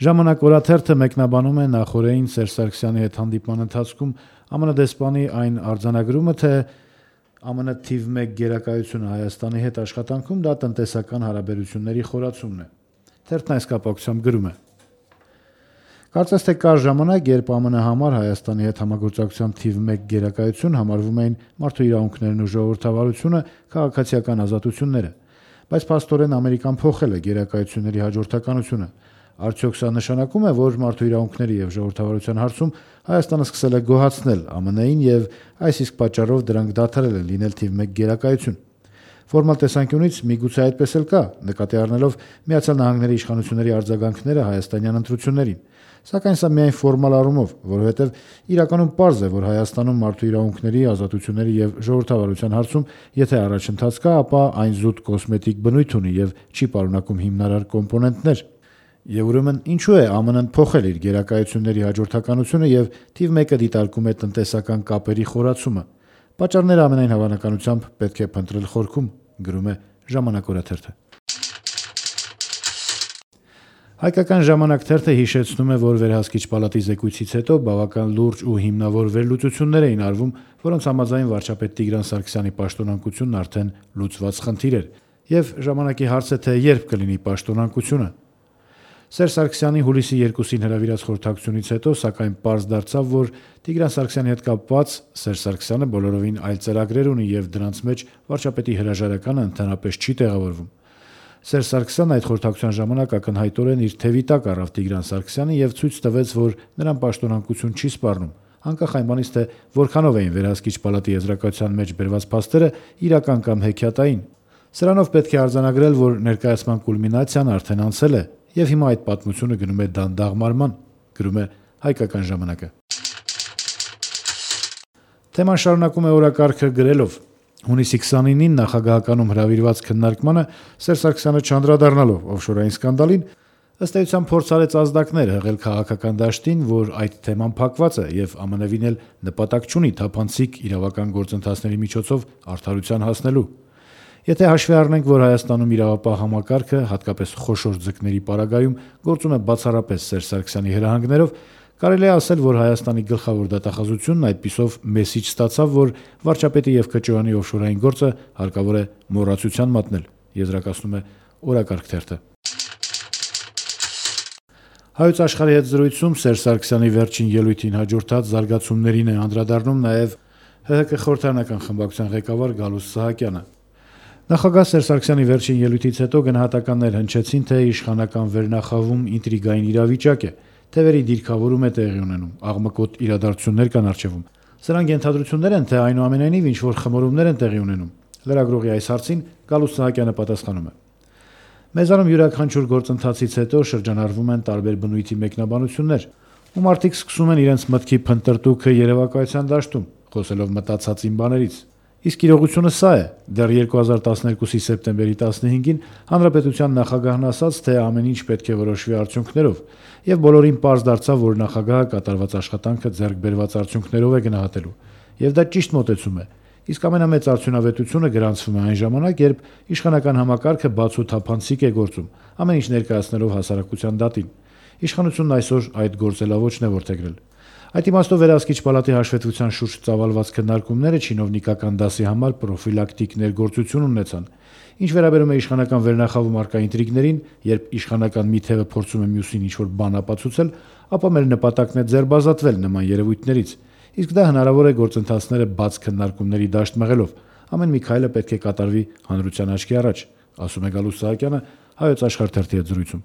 Ժամանակ օրաթերթը մեկնաբանում է նախօրեին Սերժ Սարգսյանի հետ հանդիպման ընթացքում ԱՄՆ դեսպանի այն արձանագրումը, թե ԱՄՆ թիվ 1 գերակայությունը Հայաստանի հետ աշխատանքում դա տնտեսական հարաբերությունների խորացումն է։ Թերթն այս կապակցությամբ գրում է. Կարծես թե կար ժամանակ, երբ ԱՄՆ համար Հայաստանի հետ համագործակցության թիվ 1 գերակայություն համարվում էին մարդու իրավունքներն ու ժողովրդավարությունը, քաղաքացիական ազատությունները, բայց փաստորեն Ամերիկան փոխել է գերակայությունների հաջորդականությունը։ Արդյոք սա նշանակում է, որ մարդու իրավունքների եւ ժողովրդավարության հարցում Հայաստանը սկսել է գոհացնել ԱՄՆ-ին եւ այս իսկ պատճառով դրանք դադարել են լինել թիվ 1 գերակայություն։ Ֆորմալ տեսանկյունից միգուցե այդպես էլ կա, նկատի առնելով Միացյալ Նահանգների իշխանությունների արձագանքները հայաստանյան ընտրություններին։ Սակայն սա միայն ֆորմալ առումով, որովհետև իրականում պարզ է, որ Հայաստանում մարդու իրավունքների, ազատությունների եւ ժողովրդավարության հարցում, եթե առաջընթաց կա, ապա այն զուտ կոսմետիկ բնույթ ունի եւ չի պարունակում հիմնարար կոմպոնենտներ։ Եվ ուրեմն ինչու է ԱՄՆ-ն փոխել իր գերակայությունների հաջորդականությունը եւ թիվ 1-ը դիտարկում է տնտեսական կապերի խորացումը։ Պատճառները ամենայն հավանականությամբ պետք է փնտրել խորքում, գրում է Ժամանակ օրաթերթը։ Հայկական ժամանակ թերթը հիշեցնում է, որ Վերահսկիչ պալատի զեկույցից հետո բավական լուրջ ու հիմնավոր վերլուծություններ էին արվում, որոնց համաձայն վարչապետ Տիգրան Սարգսյանի պաշտոնանկությունն արդեն լուծված խնդիր էր, եւ ժամանակի հարց է, թե երբ կլինի պաշտոնանկությունը։ Սերժ Սարգսյանի հուլիսի 2-ին հրավիրած խորհրդակցությունից հետո, սակայն պարզ դարձավ, որ Տիգրան Սարգսյանի հետ կապված Սերժ Սարգսյանը բոլորովին այլ ծրագրեր ունի եւ դրանց մեջ վարչապետի հրաժարականը ընդհանրապես չի տեղավորվում։ Սերժ Սարգսյանն այդ խորհրդակցության ժամանակ ակնհայտորեն իր թևի տակ առավ Տիգրան Սարգսյանը եւ ցույց տվեց, որ նրան պաշտոնանկություն չի սպառնում, անկախ այն բանից, թե որքանով էին Վերահսկիչ պալատի եզրակացության մեջ բերված փաստերը իրական կամ հեքիաթային։ Սրանով պետք է արձանագրել, որ ներկայացման կուլմինացիան արդեն անցել է եւ հիմա այդ պատմությունը գնում է դանդաղ մարման, գրում է Հայկական ժամանակը։ Թեման շարունակում է օրակարգը գրելով. Հունիսի 29-ին նախագահականում հրավիրված քննարկմանը Սերժ Սարգսյանը չանդրադառնալով օֆշորային սկանդալին, ըստ էության փորձարեց ազդակներ հղել քաղաքական դաշտին, որ այդ թեման փակված է եւ ԱՄՆ-վին էլ նպատակ չունի թափանցիկ իրավական գործընթացների միջոցով արդարության հասնելու։ Եթե հաշվի առնենք, որ Հայաստանում իրավապահ համակարգը, հատկապես խոշոր ձկների պարագայում, գործում է բացառապես Սերժ Սարգսյանի հրահանգներով, կարելի է ասել, որ Հայաստանի գլխավոր դատախազությունն այդպիսով մեսիջ ստացավ, որ վարչապետի եւ ԿՃՕ-ի օֆշորային գործը հարկավոր է մոռացության մատնել, եզրակացնում է օրակարգ թերթը։ Հայոց աշխարհի հետ զրույցում Սերժ Սարգսյանի վերջին ելույթին հաջորդած զարգացումներին է անդրադառնում նաեւ ՀՀԿ խորհրդարանական խմբակցության ղեկավար Գալուստ Սահակյանը։ Նախագահ Սերժ Սարգսյանի վերջին ելույթից հետո գնահատականներ հնչեցին, թե իշխանական վերնախավում ինտրիգային իրավիճակ է, թևերի դիրքավորում է տեղի ունենում, աղմկոտ իրադարձություններ կան առջևում։ Սրանք ենթադրություններ են, թե այնուամենայնիվ ինչ-որ խմորումներ են տեղի ունենում։ Լրագրողի այս հարցին Գալուստ Սահակյանը պատասխանում է. Մեզանում յուրաքանչյուր գործընթացից հետո շրջանառվում են տարբեր բնույթի մեկնաբանություններ, ու մարդիկ սկսում են իրենց մտքի փնտրտուքը երևակայության դաշտում, խոսելով մտածածին բաներից։ Իսկ իրողությունը սա է. դեռ 2012-ի սեպտեմբերի 15-ին Հանրապետության նախագահն ասաց, թե ամեն ինչ պետք է որոշվի արդյունքներով, եւ բոլորին պարզ դարձավ, որ նախագահը կատարված աշխատանքը ձեռք բերված արդյունքներով է գնահատելու։ Եվ դա ճիշտ մոտեցում է։ Իսկ ամենամեծ արդյունավետությունը գրանցվում է այն ժամանակ, երբ իշխանական համակարգը բաց ու թափանցիկ է գործում, ամեն ինչ ներկայացնելով հասարակության դատին։ Իշխանությունն այսօր այդ գործելավոճն է որդեգրել։ Այդ իմաստով Վերահսկիչ պալատի հաշվետվության շուրջ ծավալված քննարկումները չինովնիկական դասի համար պրոֆիլակտիկ ներգործություն ունեցան։ Ինչ վերաբերում է իշխանական վերնախավում առկա ինտրիգներին, երբ իշխանական մի թևը փորձում է մյուսին ինչ-որ բան ապացուցել, ապա մեր նպատակն է ձերբազատվել նման երևույթներից։ Իսկ դա հնարավոր է գործընթացները բաց քննարկումների դաշտ մղելով։ Ամեն մի քայլը պետք է կատարվի հանրության աչքի առաջ, ասում է Գալուստ Սահակյանը Հայոց աշխարհ թերթի հետ զրույցում։